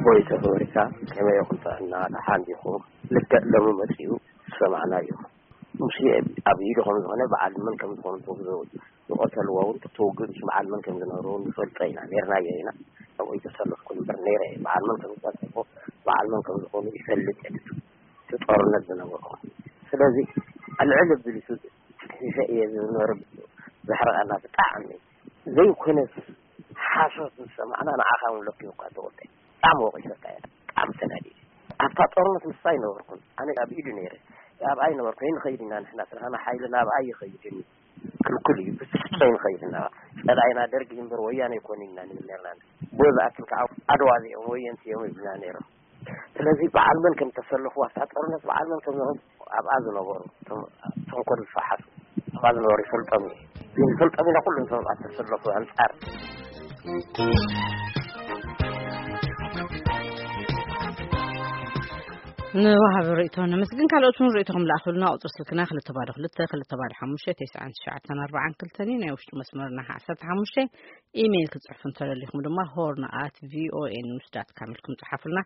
ወይ ተፈሪካ ከመይ ይኹን ጥዕና ደሓን ዲኹም? ልክዕ ሎሚ መጺኡ ዝሰማዕናዮ ሙሴ ኣብ ኢዱ ከም ዝኾነ በዓል መን ከም ዝኾኑ ትወግዘው ዝቐተልዎ እውን ተወግዙ በዓል መን ከም ዝነበሩ ንፈልጦ ኢና፣ ነርናዮ ኢና። ኣብኡ ይተሰለፍኩ እምበር ነይረ እየ። በዓል መን ከም ዝቐተልዎ በዓል መን ከም ዝኾኑ ይፈልጥ እየ። እቲ ጦርነት ዝነበሩ ስለዚ ኣልዕል ብሊሱ ክሕሸ እየ ዝነበረ። ዘሕረቐና ብጣዕሚ ዘይኮነስ ሓሶት ዝሰማዕና ንዓኻ እውን ለኪቡካ ተወልደ። ብጣዕሚ ወቒሰካ እየ። ብጣዕሚ ተናዲደ። ኣብታ ጦርነት ምስሳ ኣይነበርኩን። ኣነ ኣብ ኢዱ ነይረ። ኣብኣ ኣይነበርኩ። ይንኸይድ ኢና ንሕና ስራሕና ሓይልና ኣብኣ ይኸይድን ክልኩል እዩ። ብትስኪ ይንኸይድ ኢና። ጸላኢና ደርጊ እምበር ወያነ ኣይኮነ ኢና ንብል ነርና። ብኡ ዝኣክል ከዓ ኣድዋ እዚኦም ወየንቲ እዮም ይብልና ነይሮም። ስለዚ በዓል መን ከም ተሰለፉ ኣብታ ጦርነት በዓል መን ከም ዝኾኑ ኣብኣ ዝነበሩ እቶም ተንኮል ዝፈሓሱ ኣብኣ ዝነበሩ ይፈልጦም እዩ። ግን ይፈልጦም ኢና ኩሉ እቶም ኣብ ተሰለፉ ኣንጻር ንወሃቢ ርእቶ ነመስግን። ካልኦት እውን ርእቶኹም ለኣኹልና። ቁፅሪ ስልክና ክልተ ባዶ ክልተ ክልተ ባዶ ሓሙሽተ ተስዓን ትሽዓተን ኣርባዓን ክልተን እዩ። ናይ ውሽጢ መስመርና ዓሰርተ ሓሙሽተ። ኢሜይል ክፅሕፉ እንተደሊኹም ድማ ሆርን ኣት ቪኦኤ ኒውስ ዳት ካም ኢልኩም ፀሓፉልና።